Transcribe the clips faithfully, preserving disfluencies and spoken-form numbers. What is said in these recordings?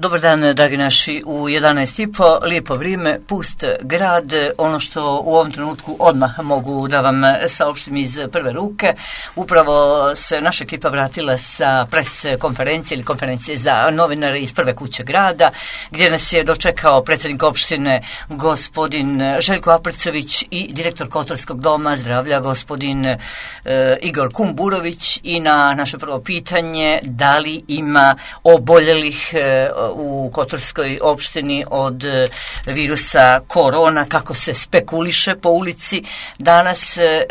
Dobar dan, dragi naši, u jedanaest i po, lijepo vrijeme, pust grad. Ono što u ovom trenutku odmah mogu da vam saopštim iz prve ruke, upravo se naša ekipa vratila sa pres konferencije ili konferencije za novinare iz prve kuće grada, gdje nas je dočekao predsjednik opštine gospodin Željko Aprcović i direktor Kotorskog doma zdravlja gospodin e, Igor Kumburović. I na naše prvo pitanje, da li ima oboljelih e, u Kotorskoj opštini od virusa korona, kako se spekuliše po ulici danas, e,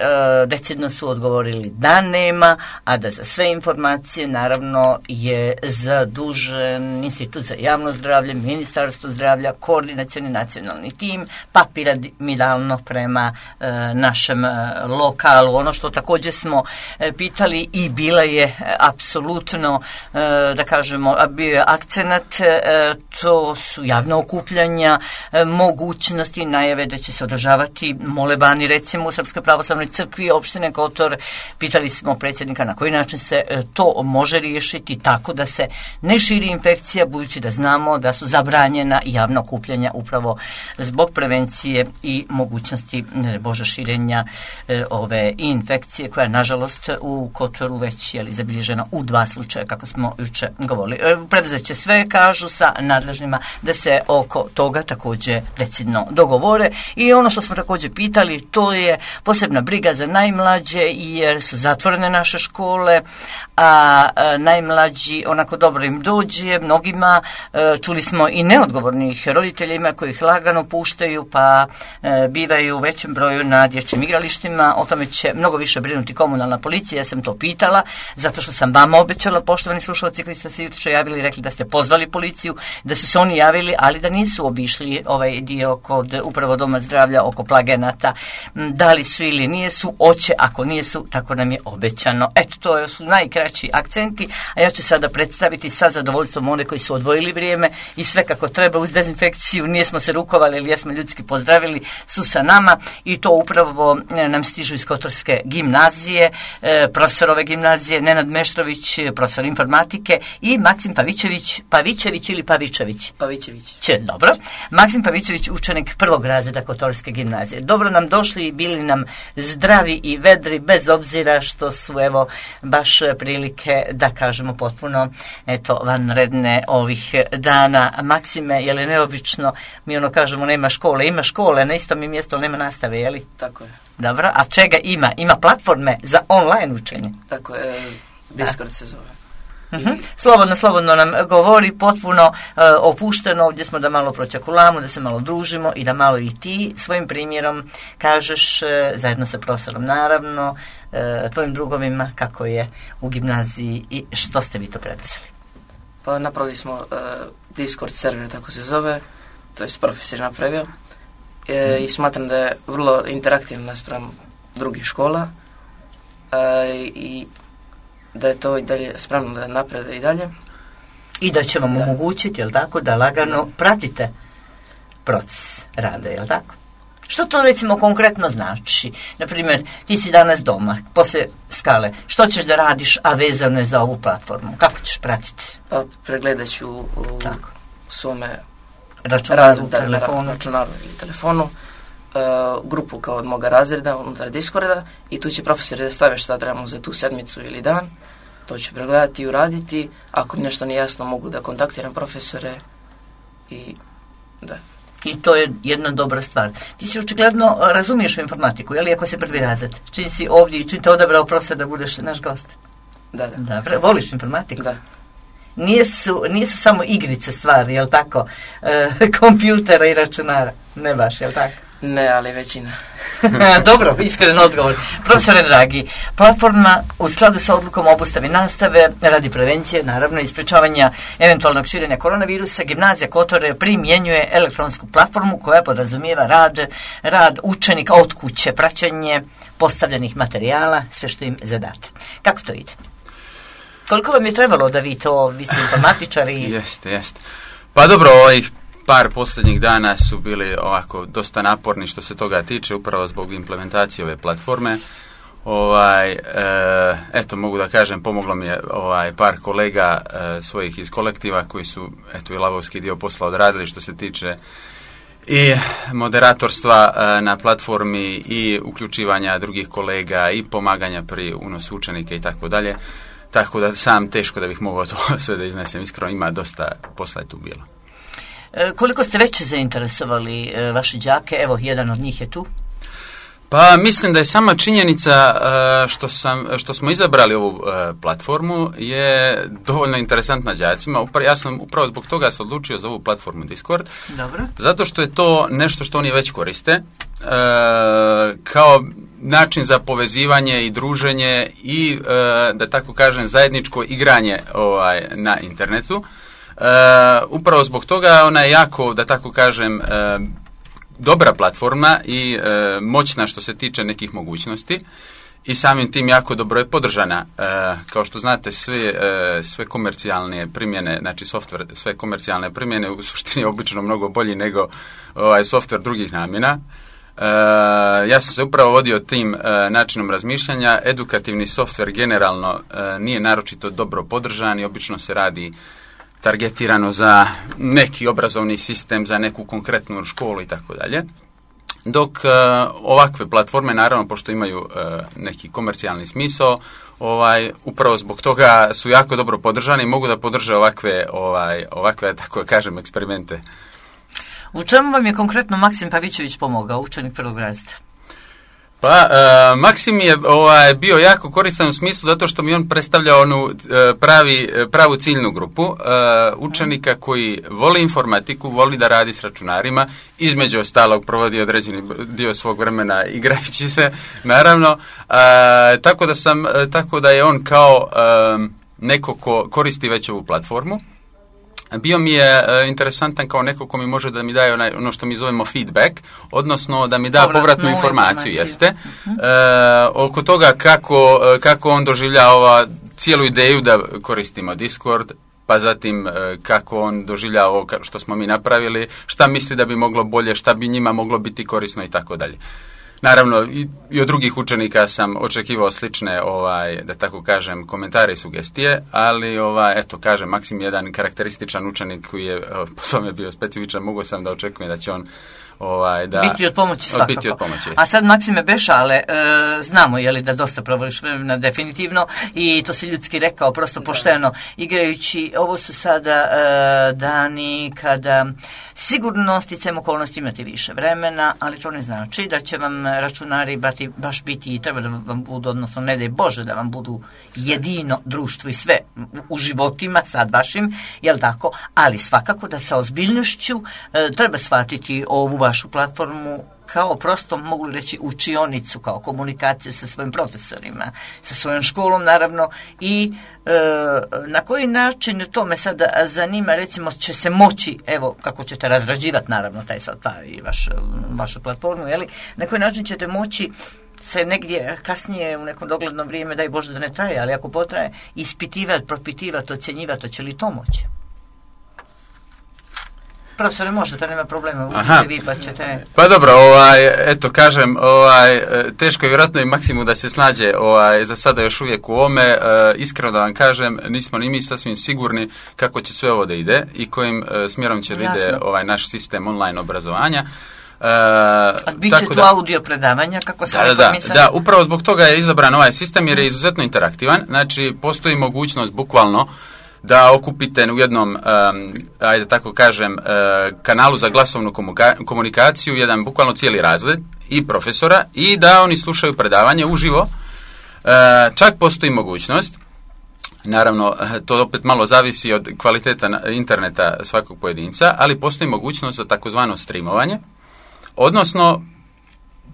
decidno su odgovorili da nema, a da za sve informacije naravno je zadužen Institut za javno zdravlje, Ministarstvo zdravlja, koordinacioni nacionalni tim, pa piramidalno prema e, našem e, lokalu. Ono što također smo e, pitali i bila je e, apsolutno, e, da kažemo, bio je akcenat, e, to su javna okupljanja, e, mogućnosti, najave da će se održavati molebani recimo u Srpskoj pravoslavnoj crkvi opštine Kotor. Pitali smo predsjednika na koji način se e, to može riješiti tako da se ne širi infekcija, budući da znamo da su zabranjena javna okupljanja upravo zbog prevencije i mogućnosti ne bože širenja e, ove infekcije, koja je nažalost u Kotoru već je li zabilježena u dva slučaja, kako smo juče govorili. E, preduzeće sve kažu sa nadležnima da se oko toga također decidno dogovore. I ono što smo također pitali, to je posebna briga za najmlađe, jer su zatvorene naše škole, a, a najmlađi onako dobro im dođe, mnogima e, čuli smo i neodgovornih roditeljima koji ih lagano puštaju, pa e, bivaju u većem broju na dječjim igralištima. O tome će mnogo više brinuti komunalna policija. Ja sam to pitala zato što sam vama obećala, poštovani slušalci koji ste se juče javili, rekli da ste pozvali policiju, da su se oni javili, ali da nisu obišli ovaj dio kod upravo doma zdravlja oko Plagenata. Da li su ili nije su, oće, ako nije su, tako nam je obećano. Eto, to su najkraći akcenti, a ja ću sada predstaviti sa zadovoljstvom one koji su odvojili vrijeme i sve kako treba uz dezinfekciju, nijesmo se rukovali ili jesmo ljudski pozdravili, su sa nama, i to upravo nam stižu iz Kotorske gimnazije, profesor ove gimnazije Nenad Meštrović, profesor informatike, i Maksim Pavićević, Pavićević ili Pavičević? Pavićević. Će, dobro. Maksim Pavićević, učenik prvog razreda Kotorske gimnazije. Dobro nam došli i bili nam zdravi i vedri, bez obzira što su evo baš prilike, da kažemo, potpuno eto vanredne ovih dana. Maksime, je li neobično, mi ono kažemo nema škole, ima škole na istom mjestu, nema nastave, je li? Tako je. Dobro, a čega ima? Ima platforme za online učenje? Tako je, Discord se zove. Uh-huh. Slobodno, slobodno nam govori, potpuno uh, opušteno. Ovdje smo da malo pročakulamo, da se malo družimo i da malo i ti svojim primjerom kažeš, uh, zajedno sa profesorom naravno, uh, tvojim drugovima, kako je u gimnaziji i što ste vi to preduzeli. Pa napravili smo uh, Discord server, tako se zove, to je profesor napravio, e, mm. i smatram da je vrlo interaktivno naspram drugih škola, uh, i da je to i dalje spremno da naprede i dalje. I da će vam da. omogućiti, jel tako, da lagano da. pratite proces rada, jel tako? Što to recimo konkretno znači? Naprimjer, ti si danas doma, poslije skale, što ćeš da radiš, a vezano je za ovu platformu? Kako ćeš pratiti? Pa pregledat ću u, u svome računaru, da, telefonu. računaru ili telefonu, uh, grupu kao od moga razreda unutar Discorda, i tu će profesori da stave šta trebamo za tu sedmicu ili dan. To ću pregledati i uraditi. Ako mi nešto nije jasno, mogu da kontaktiram profesore i da. I to je jedna dobra stvar. Ti si očigledno razumiješ u informatiku, je li, ako se prvi razred? Čim si ovdje i čim te odabrao profesor da budeš naš gost? Da, da. Dobre, voliš informatiku? Da. Nisu, nisu samo igrice stvari, jel tako? E, kompjutera i računara. Ne baš, jel tako? Ne, ali većina. Dobro, iskren odgovor. Profesore dragi, platforma u skladu sa odlukom o obustavi nastave radi prevencije, naravno, i sprečavanja eventualnog širenja koronavirusa, gimnazija Kotore primjenjuje elektronsku platformu koja podrazumijeva rad, rad učenika od kuće, praćenje postavljenih materijala, sve što im zadate. Kako to ide? Koliko vam je trebalo da vi to, vi ste informatičari? Jeste, jeste. Pa dobro, ovih par posljednjih dana su bili ovako dosta naporni što se toga tiče, upravo zbog implementacije ove platforme. Ovaj, e, eto, mogu da kažem, pomoglo mi je ovaj, par kolega e, svojih iz kolektiva koji su, eto, i lavovski dio posla odradili što se tiče i moderatorstva e, na platformi i uključivanja drugih kolega i pomaganja pri unosu učenike i tako dalje. Tako da sam teško da bih mogao to sve da iznesem. Iskreno, ima dosta posla je tu bilo. E, koliko ste već zainteresovali e, vaše đake? Evo, jedan od njih je tu. Pa mislim da je sama činjenica uh, što, sam, što smo izabrali ovu uh, platformu je dovoljno interesantna đacima. Upra, ja sam upravo zbog toga se odlučio za ovu platformu Discord. Dobro. Zato što je to nešto što oni već koriste uh, kao način za povezivanje i druženje i uh, da tako kažem zajedničko igranje ovaj, na internetu. Uh, upravo zbog toga ona je jako, da tako kažem, uh, dobra platforma i e, moćna što se tiče nekih mogućnosti i samim tim jako dobro je podržana. E, kao što znate, sve, e, sve komercijalne primjene, znači softver, sve komercijalne primjene u suštini je obično mnogo bolji nego ovaj, softver drugih namjena. E, ja sam se upravo vodio tim e, načinom razmišljanja. Edukativni softver generalno e, nije naročito dobro podržan i obično se radi targetirano za neki obrazovni sistem, za neku konkretnu školu i tako dalje. Dok uh, ovakve platforme, naravno, pošto imaju uh, neki komercijalni smisao, ovaj, upravo zbog toga su jako dobro podržani i mogu da podrže ovakve, ovaj, ovakve, tako kažem, eksperimente. U čemu vam je konkretno Maksim Pavićević pomogao, učenik prvog razreda? Pa, uh, Maksim je ovaj, bio jako koristan u smislu zato što mi on predstavlja onu uh, pravi, pravu ciljnu grupu uh, učenika koji voli informatiku, voli da radi s računarima, između ostalog provodi određeni dio svog vremena igrajući se, naravno, uh, tako da sam, uh, tako da je on kao uh, neko ko koristi već ovu platformu. Bio mi je e, interesantan kao neko ko mi može da mi daje onaj, ono što mi zovemo feedback, odnosno da mi da povratnu, povratnu informaciju, jeste, uh-huh. e, oko toga kako, kako on doživljava cijelu ideju da koristimo Discord, pa zatim e, kako on doživljava ovo što smo mi napravili, šta misli da bi moglo bolje, šta bi njima moglo biti korisno i tako dalje. Naravno, i, i od drugih učenika sam očekivao slične, ovaj, da tako kažem, komentare i sugestije, ali, ovaj, eto, kažem, Maksim je jedan karakterističan učenik koji je po svome bio specifičan, mogu sam da očekujem da će on ovaj, da... Biti od pomoći svakako. Biti od pomoći. A sad, Maksime Bešale, e, znamo, je li, da dosta provodiš vremena definitivno i to si ljudski rekao, prosto pošteno, igrajući, ovo su sada e, dani kada sigurno sticajem okolnosti imate više vremena, ali to ne znači da će vam računari bati, baš biti i treba da vam budu, odnosno ne daj Bože da vam budu jedino društvo i sve u, u životima sad vašim, jel tako, ali svakako da sa ozbiljnošću e, treba shvatiti ovu vašu platformu kao prosto, mogu reći, učionicu, kao komunikaciju sa svojim profesorima, sa svojom školom, naravno, i e, na koji način, to me sada zanima, recimo, će se moći, evo, kako ćete razrađivati, naravno, taj sad, taj vaš, vašu platformu, jeli, na koji način ćete moći se negdje kasnije u neko dogledno vrijeme, daj Bože da ne traje, ali ako potraje, ispitivati, propitivati, ocjenjivati, hoće li to moći? Profesore, može, to nema problema, uđite vi pa ćete... Pa dobro, ovaj, eto, kažem, ovaj, teško je vjerojatno i Maksimu da se snađe ovaj, za sada još uvijek u ovome. E, iskreno da vam kažem, nismo ni mi sasvim sigurni kako će sve ovo da ide i kojim e, smjerom će da ide ovaj, naš sistem online obrazovanja. Uh, A bit će tu da, audio predavanja, kako se da, da, da, upravo zbog toga je izabran ovaj sistem jer je izuzetno interaktivan, znači postoji mogućnost bukvalno da okupite u jednom, um, ajde tako kažem, uh, kanalu za glasovnu komuka- komunikaciju, jedan bukvalno cijeli razred i profesora i da oni slušaju predavanje uživo. Uh, čak postoji mogućnost, naravno to opet malo zavisi od kvaliteta interneta svakog pojedinca, ali postoji mogućnost za takozvano streamovanje, odnosno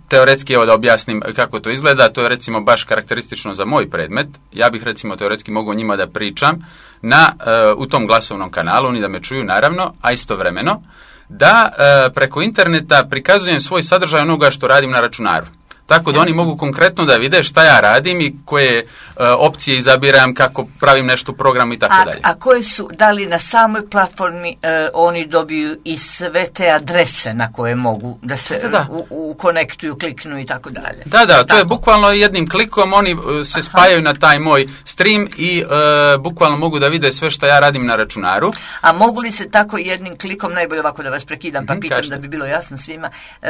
teoretski, evo da objasnim kako to izgleda, to je recimo baš karakteristično za moj predmet. Ja bih recimo teoretski mogao njima da pričam na, uh, u tom glasovnom kanalu, oni da me čuju naravno, a istovremeno da uh, preko interneta prikazujem svoj sadržaj onoga što radim na računaru. Tako da Jasno. oni mogu konkretno da vide šta ja radim i koje uh, opcije izabiram, kako pravim nešto u programu i tako a, dalje. A koje su, da li na samoj platformi uh, oni dobiju i sve te adrese na koje mogu da se da, da. U, u konektuju, kliknu i tako dalje? Da, da, to tako. je bukvalno jednim klikom, oni uh, se Aha. spajaju na taj moj stream i uh, bukvalno mogu da vide sve što ja radim na računaru. A mogu li se tako jednim klikom, najbolje ovako da vas prekidam, pa mm-hmm, pitam kažete. Da bi bilo jasno svima, uh,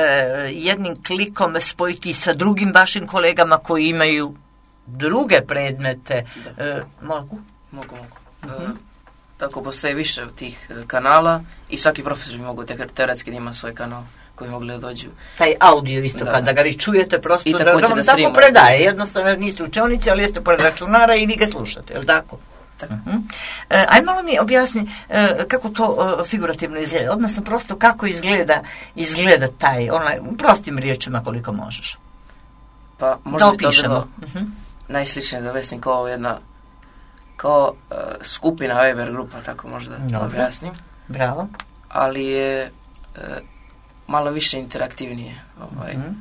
jednim klikom spojiti sa drugim vašim kolegama koji imaju druge predmete, uh, mogu? Mogu, mogu. Uh-huh. Uh, tako postoje više tih uh, kanala i svaki profesor mogu te, teoretski da ima svoj kanal koji mogli da dođu. Taj audio isto, da. kada ga vi čujete prosto, I da, da vam da tako predaje, jednostavno niste učenici, ali jeste pored računara i vi ga slušate, je li tako? Tako. Uh-huh. E, aj malo mi objasni e, kako to e, figurativno izgleda, odnosno prosto kako izgleda, izgleda taj, onaj, prostim riječima koliko možeš. Pa možda bi to bilo uh-huh. najsličnije da vesnim kao jedna kao uh, skupina Weber grupa, tako možda da objasnim. Bravo. Ali je uh, malo više interaktivnije. Ovaj. Uh-huh.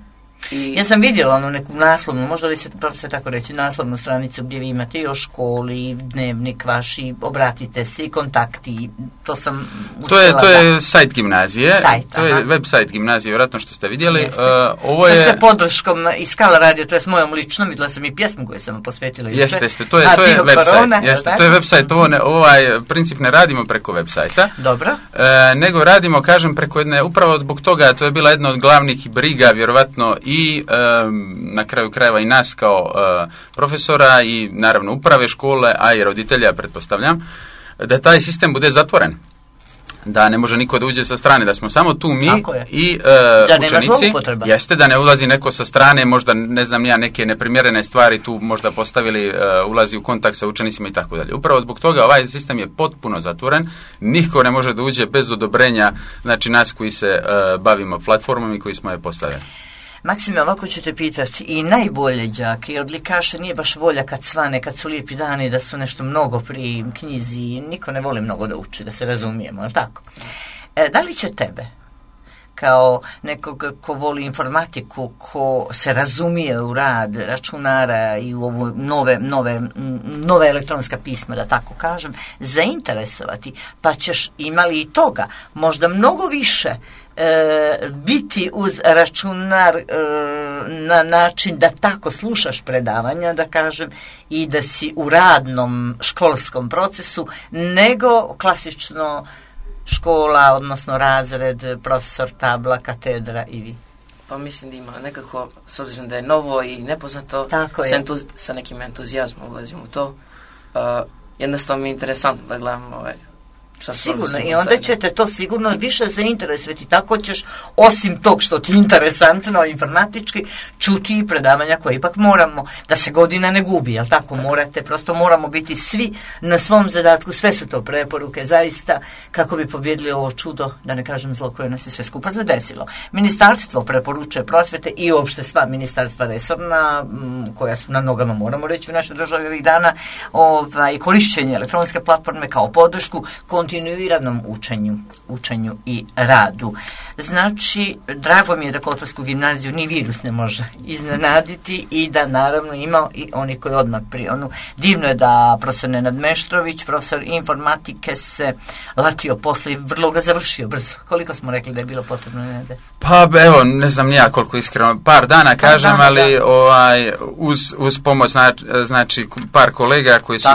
I... Ja sam vidjela onu neku naslovnu, možda li se, se tako reći, naslovnu stranicu gdje vi imate i o školi, dnevnik vaš, i obratite se, i kontakti, to sam To je, to je sajt gimnazije, sajt, to je web sajt gimnazije, vjerojatno što ste vidjeli. Jeste. Uh, ovo je... Sa sve podrškom iz Skala radio, to je s mojom ličnom, vidjela sam i pjesmu koju sam posvetila. Jeste, jeste, to je, to je web sajt, jeste, to je web sajt, ovo ne, ovaj princip ne radimo preko web sajta. Dobro. Uh, nego radimo, kažem, preko jedne, upravo zbog toga, to je bila jedna od glavnih briga, vjerovatno, i um, na kraju krajeva i nas kao uh, profesora i naravno uprave škole, a i roditelja, pretpostavljam, da taj sistem bude zatvoren. Da ne može niko da uđe sa strane, da smo samo tu mi i uh, učenici. Jeste, da ne ulazi neko sa strane, možda ne znam ja, neke neprimjerene stvari tu možda postavili, uh, ulazi u kontakt sa učenicima i tako dalje. Upravo zbog toga ovaj sistem je potpuno zatvoren, niko ne može da uđe bez odobrenja, znači nas koji se uh, bavimo platformom i koji smo je postavili. Maksime, ovako ću te pitati, i najbolje đake i odlikaše nije baš volja kad svane, kad su lijepi dani, da su nešto mnogo pri knjizi, niko ne voli mnogo da uči, da se razumijemo, ali tako? E, da li će tebe, kao nekog ko voli informatiku, ko se razumije u rad računara i u ovo nove, nove, nove elektronska pisma, da tako kažem, zainteresovati, pa ćeš imali i toga, možda mnogo više E, biti uz računar e, na način da tako slušaš predavanja, da kažem, i da si u radnom školskom procesu, nego klasično škola, odnosno razred, profesor, tabla, katedra i vi. Pa mislim da ima nekako, s obzirom da je novo i nepoznato, sa, entuz, sa nekim entuzijazmom ulazim u to. Uh, jednostavno mi je interesantno da gledam ovaj, sigurno, i onda ćete to sigurno više zainteresovati, tako ćeš, osim tog što ti je interesantno informatički, čuti i predavanja koje ipak moramo, da se godina ne gubi, jel tako, tako, morate, prosto moramo biti svi na svom zadatku, sve su to preporuke, zaista, kako bi pobjedili ovo čudo, da ne kažem zlo koje nas je sve skupa zadesilo. Ministarstvo preporučuje prosvete i uopšte sva ministarstva resorna, koja su na nogama, moramo reći, u našoj državi ovih dana, ovaj, korišćenje elektronske platforme kao podršku kontinuiranom učenju, učenju i radu. Znači, drago mi je da Kotorsku gimnaziju ni virus ne može iznenaditi i da naravno ima i oni koji odmah prije. Onu, divno je da profesor Nenad Meštrović, profesor informatike, se latio posle i vrlo ga završio brzo. Koliko smo rekli da je bilo potrebno, Nenade? Pa evo, ne znam nija koliko iskreno, par dana kažem, par dana, ali da. ovaj, uz, uz pomoć znači, znači par kolega koji su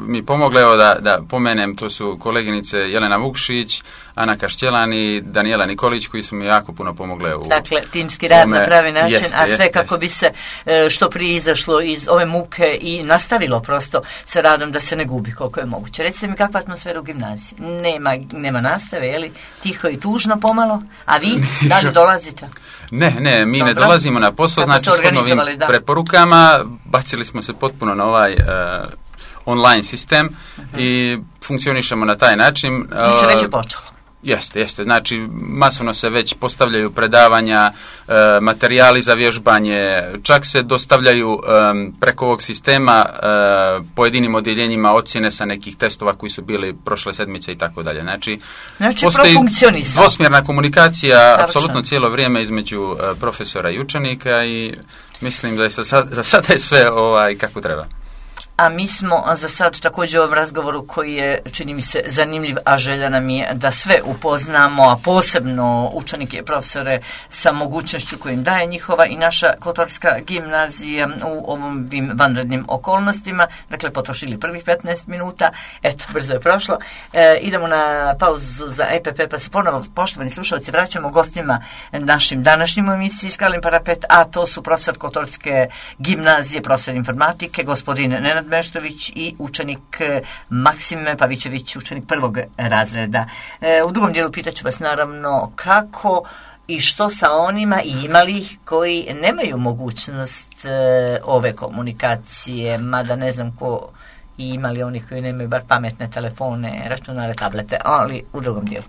mi pomogli, evo da, da pomenem, to su koleginice Jelena Vukšić, Ana Kaštjelan i Danijela Nikolić, koji su mi jako puno pomogle u... Dakle, timski rad na pravi način, jeste, a sve jeste, kako jeste. bi se što prije izašlo iz ove muke i nastavilo prosto sa radom da se ne gubi koliko je moguće. Recite mi kakva atmosfera u gimnaziji? Nema, nema nastave, je li? Tiho i tužno pomalo? A vi, da li dolazite? Ne, ne, mi Dobro. ne dolazimo na posao, znači s novim da. preporukama, bacili smo se potpuno na ovaj... Uh, online sistem uh-huh. i funkcionišemo na taj način. Znači već je počelo. Jeste, jeste. Znači, masovno se već postavljaju predavanja, e, materijali za vježbanje, čak se dostavljaju e, preko ovog sistema e, pojedinim odjeljenjima ocjene sa nekih testova koji su bili prošle sedmice i tako dalje. Znači, znači postoji dvosmjerna komunikacija apsolutno cijelo vrijeme između e, profesora i učenika i mislim da je za, za sada je sve ovaj, kako treba. A mi smo za sad također u ovom razgovoru koji je, čini mi se, zanimljiv, a želja nam je da sve upoznamo, a posebno učenike i profesore sa mogućnošću koju im daje njihova i naša Kotorska gimnazija u ovim vanrednim okolnostima. Dakle, potrošili prvih petnaest minuta, eto, brzo je prošlo. E, idemo na pauzu za E P P, pa se ponovo, poštovani slušalci, vraćamo gostima našim današnjim u emisiji Skalin parapet, a to su profesor Kotorske gimnazije, profesor informatike, gospodin Nenad Meštović i učenik Maksim Pavićević, učenik prvog razreda. E, u drugom dijelu pitaću vas naravno kako i što sa onima i imali ih koji nemaju mogućnost e, ove komunikacije, mada ne znam ko i imali oni koji nemaju bar pametne telefone, računare, tablete, ali u drugom dijelu.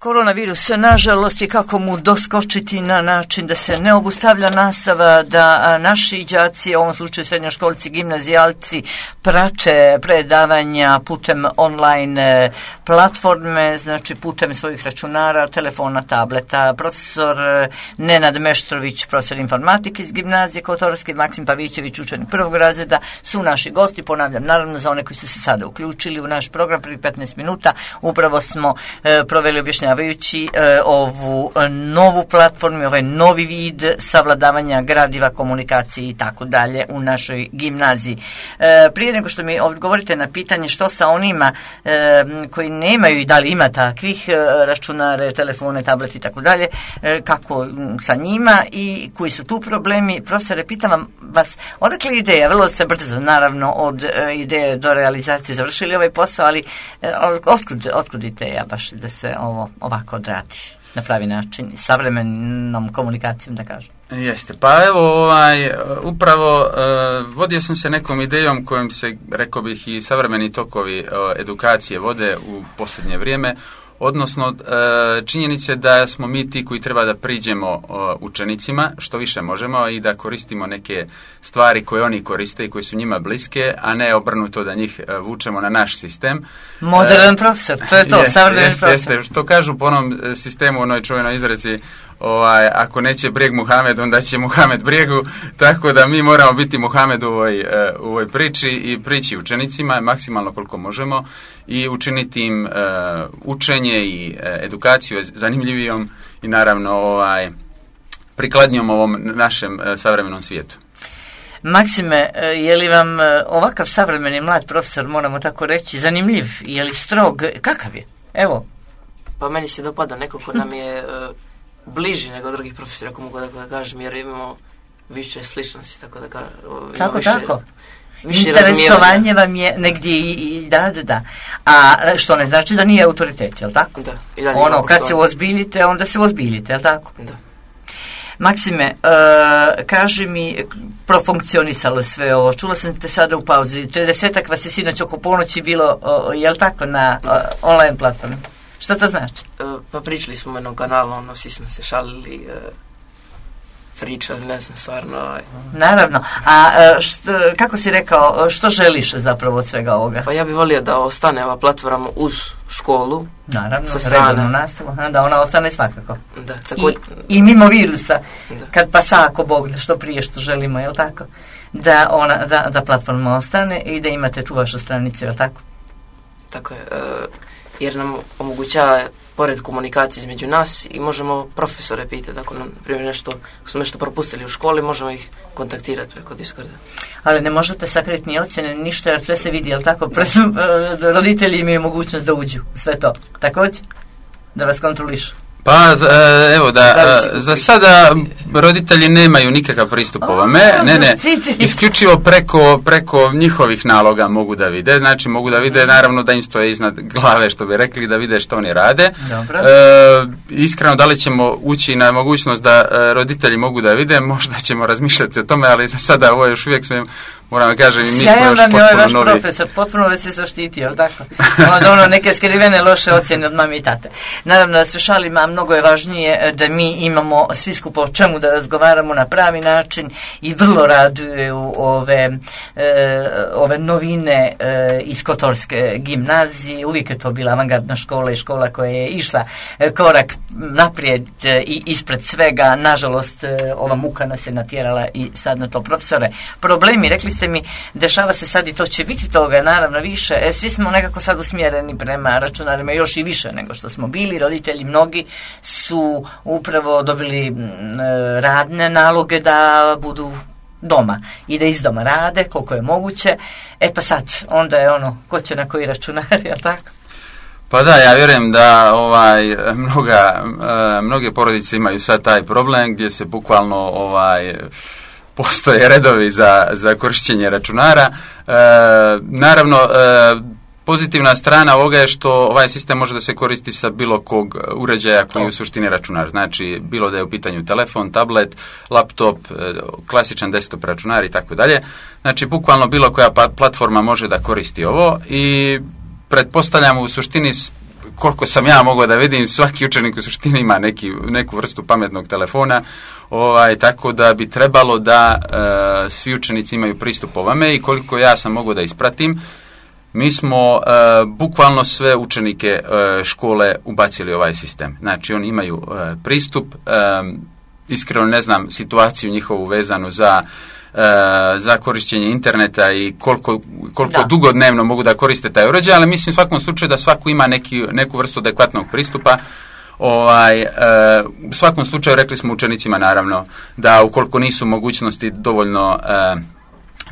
Koronavirus, nažalost, je kako mu doskočiti na način da se ne obustavlja nastava, da naši đaci, u ovom slučaju srednjoškolci, gimnazijalci, prate predavanja putem online platforme, znači putem svojih računara, telefona, tableta. Profesor Nenad Meštrović, profesor informatike iz gimnazije Kotorske, Maksim Pavićević, učenik prvog razreda, su naši gosti. Ponavljam, naravno, za one koji su se sada uključili u naš program, prvi petnaest minuta, upravo smo e, proveli objašnjavanje objašnjavajući e, ovu novu platformu, ovaj novi vid savladavanja gradiva, komunikacije i tako dalje u našoj gimnaziji. E, prije nego što mi odgovorite na pitanje što sa onima e, koji nemaju i da li ima takvih e, računare, telefone, tableti i tako dalje, e, kako sa njima i koji su tu problemi, profesore, pitam vas, odakle ideja, vrlo ste brzo naravno od e, ideje do realizacije završili ovaj posao, ali e, otkud, otkud ideja baš da se ovo ovako odradi na pravi način, savremenom komunikacijom, da kažem. Jeste, pa evo, ovaj, upravo uh, vodio sam se nekom idejom kojom se, rekao bih, i savremeni tokovi uh, edukacije vode u posljednje vrijeme, odnosno uh, činjenice da smo mi ti koji treba da priđemo uh, učenicima što više možemo i da koristimo neke stvari koje oni koriste i koje su njima bliske, a ne obrnuto da njih uh, vučemo na naš sistem. Modern uh, profesor, to je to, jest, savremeni jest, profesor. Jeste, što kažu po onom sistemu, onoj čuvenoj izreci, ovaj, ako neće brijeg Muhamed, onda će Muhamed brijegu, tako da mi moramo biti Muhamed u ovoj, u ovoj priči i prići učenicima maksimalno koliko možemo i učiniti im uh, učenje i uh, edukaciju zanimljivijom i naravno ovaj, prikladnijom ovom našem uh, savremenom svijetu. Maksime, je li vam ovakav savremeni mlad profesor, moramo tako reći, zanimljiv, je li strog, kakav je? Evo. Pa meni se dopada neko ko nam je uh, bliži nego drugih profesora, ako mogu da kažem, jer imamo više sličnosti, tako da kažem. Tako, više, tako. Više interesovanje vam je negdje i, i da, da, da. A što ne znači da nije autoritet, jel tako? Da. I dalje ono, kad se uozbiljite, onda se uozbiljite, jel tako? Da. Maksime, uh, kaži mi, profunkcionisalo sve ovo, čula sam te sada u pauzi, tridesetak vas je sinoć oko ponoći bilo, uh, jel tako, na uh, online platformi? Što to znači? Uh, pa pričali smo o jednom kanalu, ono, svi smo se šalili, uh, pričali, ne znam, stvarno. Ovaj. Naravno. A što, kako si rekao, što želiš zapravo od svega ovoga? Pa ja bih volio da ostane ova platforma uz školu. Naravno, redovnu nastavu, da ona ostane svakako. Da, tako... I, I mimo virusa, da. Kad pa sa ako Bog da što prije što želimo, je li tako? Da, ona, da, da platforma ostane i da imate tu vašu stranicu, je li tako? Tako je, jer nam omogućava pored komunikacije između nas i možemo profesore pitati ako nam, primjer, nešto, ako smo nešto propustili u školi, možemo ih kontaktirati preko Discorda. Ali ne možete sakriti ni ocjene, ništa, jer sve se vidi, jel tako? Roditelji imaju mogućnost da uđu, sve to. Također, da vas kontrolišu. Pa, evo da, za sada roditelji nemaju nikakav pristup ovome, ne, ne, isključivo preko, preko njihovih naloga mogu da vide, znači mogu da vide, naravno da im stoje iznad glave, što bi rekli, da vide što oni rade. E, iskreno, da li ćemo ući na mogućnost da roditelji mogu da vide, možda ćemo razmišljati o tome, ali za sada ovo još uvijek sve, moram da kažem, mi smo još potpuno ovaj vaš novi. Profesor, potpuno već se zaštitio, jel tako? Onda ono, neke skrivene loše ocjene od mame i tate. Naravno da se šalim, a mnogo je važnije da mi imamo svi skupo o čemu da razgovaramo na pravi način i vrlo raduju ove, e, ove novine e, iz Kotorske gimnazije. Uvijek je to bila avangardna škola i škola koja je išla e, korak naprijed e, i ispred svega. Nažalost, e, ova muka nas je natjerala i sad na to. Profesore, problemi, rekli ste mi, dešava se sad i to će biti toga, naravno više. E, svi smo nekako sad usmjereni prema računarima, još i više nego što smo bili. Roditelji mnogi su upravo dobili m, radne naloge da budu doma i da iz doma rade koliko je moguće. E pa sad, onda je ono, ko će na koji računar, jel tako? Pa da, ja vjerujem da ovaj mnoga, mnoge porodice imaju sad taj problem gdje se bukvalno ovaj postoje redovi za, za korištenje računara. E, naravno, e, pozitivna strana ovoga je što ovaj sistem može da se koristi sa bilo kog uređaja koji je u suštini računar. Znači, bilo da je u pitanju telefon, tablet, laptop, klasičan desktop računar i tako dalje. Znači, bukvalno bilo koja platforma može da koristi ovo i pretpostavljamo u suštini, koliko sam ja mogao da vidim, svaki učenik u suštini ima neki, neku vrstu pametnog telefona, ovaj, tako da bi trebalo da e, svi učenici imaju pristup ovome i koliko ja sam mogao da ispratim, mi smo uh, bukvalno sve učenike uh, škole ubacili ovaj sistem. Znači, oni imaju uh, pristup, um, iskreno ne znam situaciju njihovu vezanu za, uh, za korištenje interneta i koliko, koliko dugo dnevno mogu da koriste taj uređaj, ali mislim u svakom slučaju da svako ima neki, neku vrstu adekvatnog pristupa. Ovaj, uh, u svakom slučaju rekli smo učenicima naravno da ukoliko nisu mogućnosti dovoljno uh,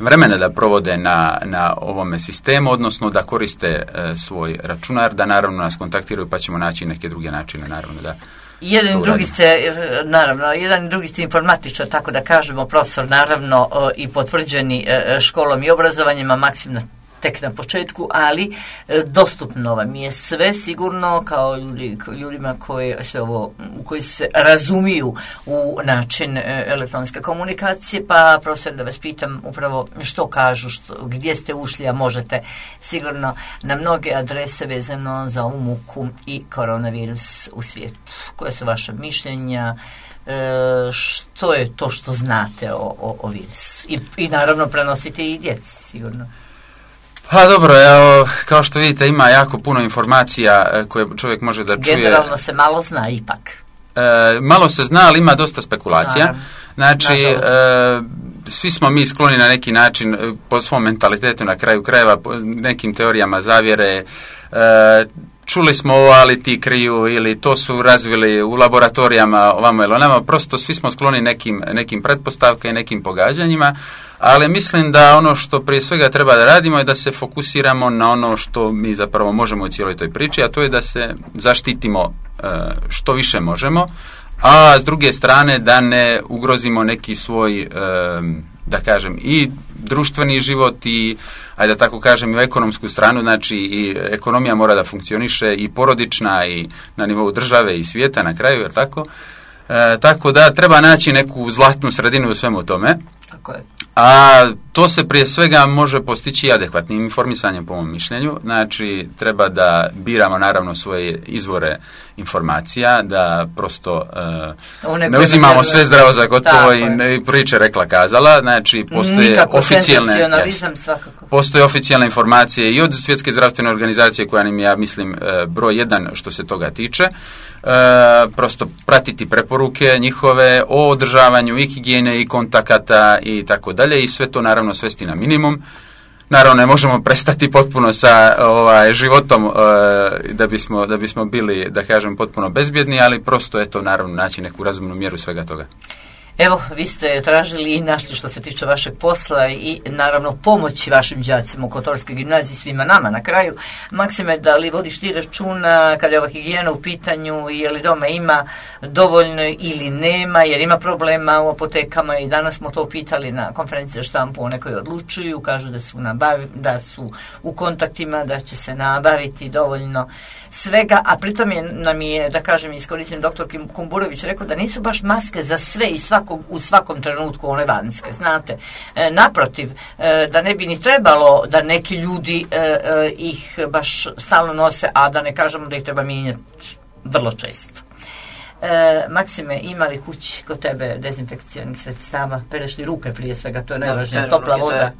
vremena da provode na, na ovome sistemu, odnosno da koriste e, svoj računar, da naravno nas kontaktiraju pa ćemo naći neke druge načine, naravno da jedan i drugi ste, naravno, jedan i drugi ste informatičar, tako da kažemo, profesor, naravno, e, i potvrđeni e, školom i obrazovanjima, Maksim tek na početku, ali e, dostupno vam je sve sigurno kao ljudi, ljudima koji se, ovo, koji se razumiju u način e, elektronske komunikacije, pa profesor da vas pitam upravo što kažu, što, gdje ste ušli, a možete sigurno na mnoge adrese vezano za ovu muku i koronavirus u svijetu. Koje su vaše mišljenja? E, što je to što znate o, o, o virusu? I, I naravno prenosite i djeci, sigurno. Pa dobro, evo, kao što vidite ima jako puno informacija koje čovjek može da čuje. Generalno se malo zna ipak. E, malo se zna, ali ima dosta spekulacija. Naravno. Znači, e, svi smo mi skloni na neki način po svom mentalitetu na kraju krajeva, po nekim teorijama zavjere. E, čuli smo ovo, ali ti kriju, ili to su razvili u laboratorijama ovamo ili onamo. Prosto svi smo skloni nekim, nekim pretpostavkama i nekim pogađanjima. Ali mislim da ono što prije svega treba da radimo je da se fokusiramo na ono što mi zapravo možemo u cijeloj toj priči, a to je da se zaštitimo e, što više možemo, a s druge strane da ne ugrozimo neki svoj, e, da kažem, i društveni život i, ajde da tako kažem, i u ekonomsku stranu, znači i ekonomija mora da funkcioniše i porodična i na nivou države i svijeta na kraju, jer tako? E, tako da treba naći neku zlatnu sredinu u svemu tome. Tako je. A to se prije svega može postići adekvatnim informisanjem, po mom mišljenju. Znači, treba da biramo naravno svoje izvore informacija, da prosto uh, ne uzimamo sve zdravo za gotovo i ne, priče rekla kazala. Znači, postoje nikako oficijalne, senzacionalizam svakako. Postoje oficijalne informacije i od Svjetske zdravstvene organizacije, koja nam je, ja mislim, broj jedan što se toga tiče. E, prosto pratiti preporuke njihove o održavanju i higijene i kontakata i tako dalje i sve to naravno svesti na minimum. Naravno ne možemo prestati potpuno sa ovaj, životom e, da, bismo, da bismo bili, da kažem, potpuno bezbjedni, ali prosto je to naravno naći neku razumnu mjeru svega toga. Evo, vi ste tražili i našli što se tiče vašeg posla i naravno pomoći vašim đacima u Kotorskoj gimnaziji, svima nama na kraju. Maksime, da li vodiš ti računa kada je ova higijena u pitanju, je li doma ima dovoljno ili nema, jer ima problema u apotekama i danas smo to pitali na konferenciji za štampu, one koji odlučuju, kažu da su, nabavi, da su u kontaktima, da će se nabaviti dovoljno svega, a pritom je, nam je, da kažem, iskoristim doktor Kumburović rekao da nisu baš maske za sve i svakog, u svakom trenutku one vanjske, znate. E, naprotiv, e, da ne bi ni trebalo da neki ljudi e, e, ih baš stalno nose, a da ne kažemo da ih treba mijenjati vrlo često. E, Maksime, ima li kući kod tebe dezinfekcionih sredstava? Pereš li ruke prije svega, to je najvažnije, topla ruke, voda.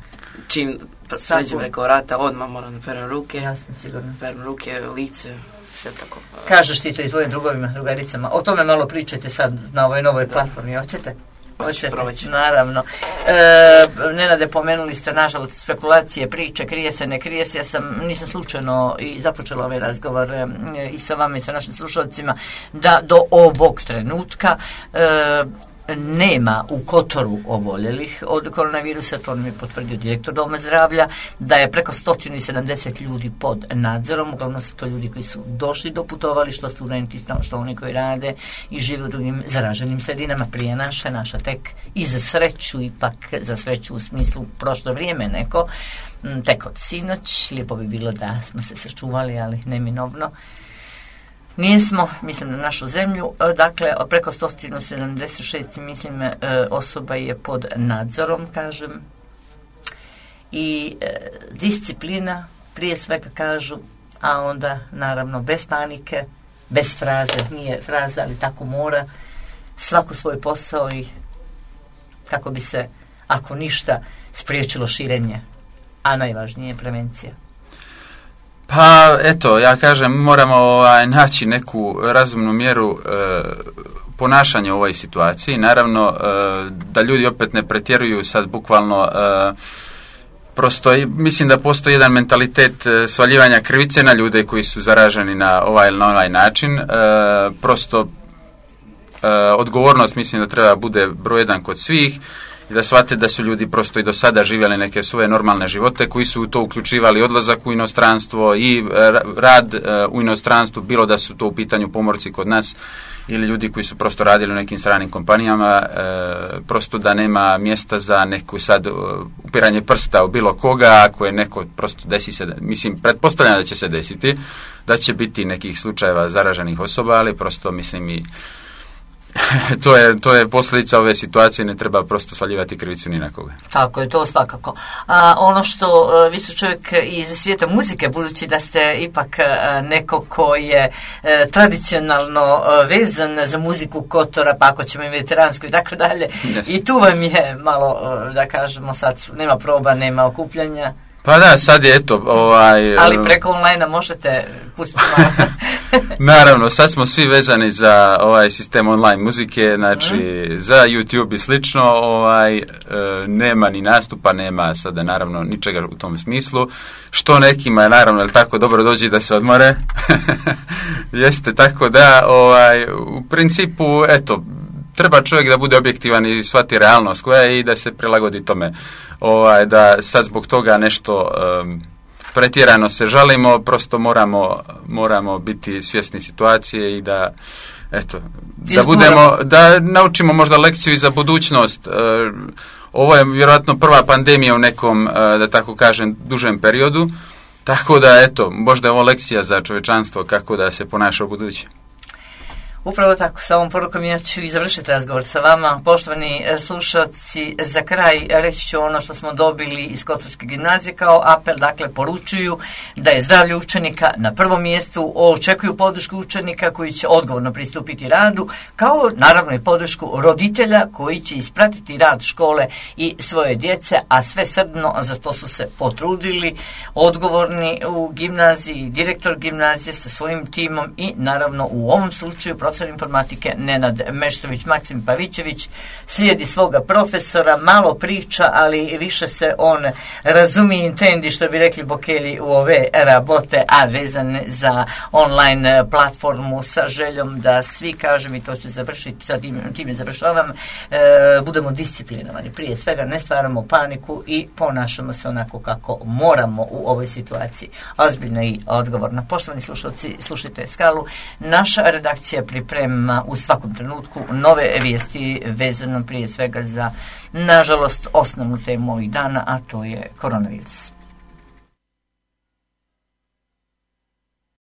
Čim pređem preko vrata, odmah moram da perem ruke. Jasno, sigurno. Perem ruke, lice, sve tako. Kažeš ti to i tvojim drugovima, drugaricama. O tome malo pričajte sad na ovoj novoj da. platformi, hoćete? Hoćete, naravno. E, Nenade, pomenuli ste, nažalost, spekulacije, priče, krije se, ne krije se. Ja sam, nisam slučajno i započela ovaj razgovor e, i sa vama i sa našim slušalcima, da do ovog trenutka e, nema u Kotoru oboljelih od koronavirusa, to nam je potvrdio direktor Doma zdravlja, da je preko sto sedamdeset ljudi pod nadzorom, uglavnom su to ljudi koji su došli do putovališta, studenti, što oni koji rade i žive u drugim zaraženim sredinama prije naše, naša tek i za sreću, ipak za sreću u smislu prošlo vrijeme neko, tek od sinoć, lijepo bi bilo da smo se sačuvali, ali neminovno. Nismo, mislim na našu zemlju, dakle preko sto sedamdeset šest mislim osoba je pod nadzorom, kažem, i e, disciplina prije svega kažu, a onda naravno bez panike, bez fraze, nije fraza, ali tako mora, svako svoj posao i kako bi se, ako ništa, spriječilo širenje, a najvažnije je prevencija. Pa, eto, ja kažem, moramo ovaj, naći neku razumnu mjeru e, ponašanja u ovoj situaciji. Naravno, e, da ljudi opet ne pretjeruju sad bukvalno, e, prosto, mislim da postoji jedan mentalitet e, svaljivanja krivice na ljude koji su zaraženi na ovaj ili na ovaj način. E, prosto, e, odgovornost mislim da treba bude broj jedan kod svih, i da shvate da su ljudi prosto i do sada živjeli neke svoje normalne živote, koji su u to uključivali odlazak u inostranstvo i rad u inostranstvu, bilo da su to u pitanju pomorci kod nas ili ljudi koji su prosto radili u nekim stranim kompanijama, prosto da nema mjesta za neku sad upiranje prsta u bilo koga, ako je neko prosto desi se, mislim, pretpostavljam da će se desiti, da će biti nekih slučajeva zaraženih osoba, ali prosto mislim i to je, to je posljedica ove situacije, ne treba prosto svaljivati krivicu ni na koga. Tako je, to svakako. A ono što, vi su čovjek iz svijeta muzike, budući da ste ipak neko ko je e, tradicionalno vezan za muziku Kotora, pa ako ćemo i mediteransku i tako dalje, i tu vam je malo, da kažemo sad, nema proba, nema okupljanja. Pa da, sad je eto, ovaj... Ali preko online-a možete pustiti malo. Naravno, sad smo svi vezani za ovaj sistem online muzike, znači mm. za YouTube i slično, ovaj, e, nema ni nastupa, nema sada naravno ničega u tom smislu, što nekima je naravno, ali tako dobro dođi da se odmore. Jeste, tako da, ovaj, u principu, eto, treba čovjek da bude objektivan i shvati realnost koja je i da se prilagodi tome. Ovaj, da sad zbog toga nešto um, pretjerano se žalimo, prosto moramo, moramo biti svjesni situacije i da, eto, da budemo, da naučimo možda lekciju i za budućnost. Uh, ovo je vjerojatno prva pandemija u nekom, uh, da tako kažem, dužem periodu, tako da, eto, možda je ovo lekcija za čovječanstvo kako da se ponaša u budući. Upravo tako, sa ovom porukom ja ću i završiti razgovor sa vama. Poštovani slušalci, za kraj reći ću ono što smo dobili iz Kotorske gimnazije kao apel, dakle poručuju da je zdravlje učenika na prvom mjestu, očekuju podršku učenika koji će odgovorno pristupiti radu, kao naravno i podršku roditelja koji će ispratiti rad škole i svoje djece, a sve srdno za to su se potrudili odgovorni u gimnaziji, direktor gimnazije sa svojim timom i naravno u ovom slučaju profesor informatike Nenad Meštrović. Maksim Pavićević slijedi svoga profesora, malo priča, ali više se on razumije intendi, što bi rekli Bokelji, u ove rabote, a vezane za online platformu, sa željom da svi, kažem, i to će završiti, sa tim, time završavam, e, budemo disciplinovani. Prije svega ne stvaramo paniku i ponašamo se onako kako moramo u ovoj situaciji. Ozbiljno i odgovorno. Poštovani slušalci, slušajte Skalu. Naša redakcija priprema u svakom trenutku nove vijesti vezano prije svega za, nažalost, osnovnu temu ovih dana, a to je koronavirus.